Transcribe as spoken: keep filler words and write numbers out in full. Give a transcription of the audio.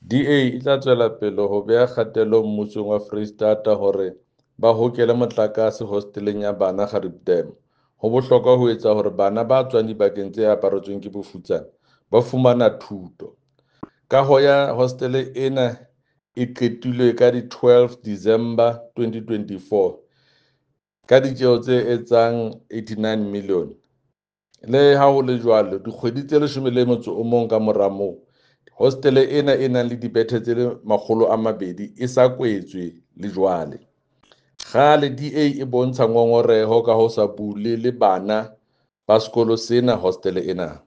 D A e tla tswela pele ho beha kgatello mmusong wa Foreisetata hore ba hokele motlakase hosteleng ya bana Gariep Dam. Ho bohlokwa ho etsa hore bana ba tswang dibakeng tse aparetsweng ke bofutsana ba fumana thuto. Kaho ya hostele ena e qetilwe ka di twelve December twenty twenty-four ka ditjeo tse etsang eighty-nine million. Le ha ho le jwalo, dikgwedi tse leshome le motso o mong ka mora moo, hostele ena e nang le dibethe tse makgolo a mabedi e sa kwetswe le jwale. Kgale D A e bontsha ngongoreho ka ho sa bulele bana ba sekolo sena hostele ena.